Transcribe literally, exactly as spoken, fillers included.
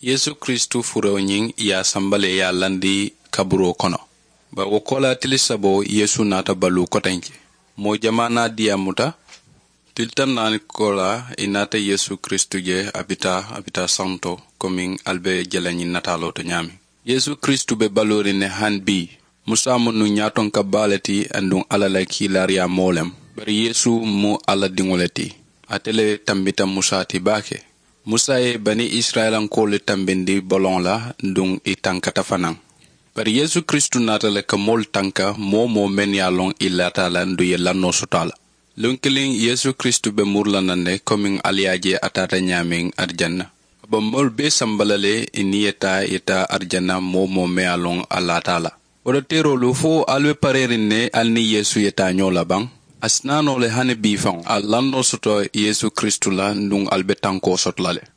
Yeesu kiristu furoo ñiŋ i ye a samba le i ye a landi kaburoo kono. Bari wo koolaa tili saboo yeesu naata baluu kotenke. Moo jamaa naa diyaamuta. Tili taŋ naani koolaa i naata yeesu kiristu je a bi taa a bi taa santo komiŋ ali be je la ñiŋ nataaloo to ñaameŋ. Yeesu kiristu be baluuriŋ ne hani bii. Musa mu nuŋ ñaatonka baa le ti aduŋ alla la kiilaariyaa moo lem. Bari yeesu mu alla diŋo le ti. Ate le tambita musa ti baake. Musa ye bani isirayilankoolu tambindi boloŋo la. Aduŋ i tankata fanaŋ. Bari yeesu kiristu naata le ka moolu tanka moo-wo-moo mennu ye a loŋ i laata a la aduŋ i ye lannoo soto a la. Luŋ kiliŋ yeesu kiristu be muru la naŋ ne komiŋ ali ye a je a taata ñaameŋ arijanna. A be moolu bee samba la le i niŋ i ye taa i ye taa arijanna moo-wo-moo meŋ ye a loŋ a laata a la. Wo to teeroolu fo ali be pareeriŋ ne ali niŋ yeesu ye taa ñoo la baŋ? A si naa noo le hani bii faŋo ali lannoo soto yeesu kiristu la aduŋ ali be tankoo soto la le.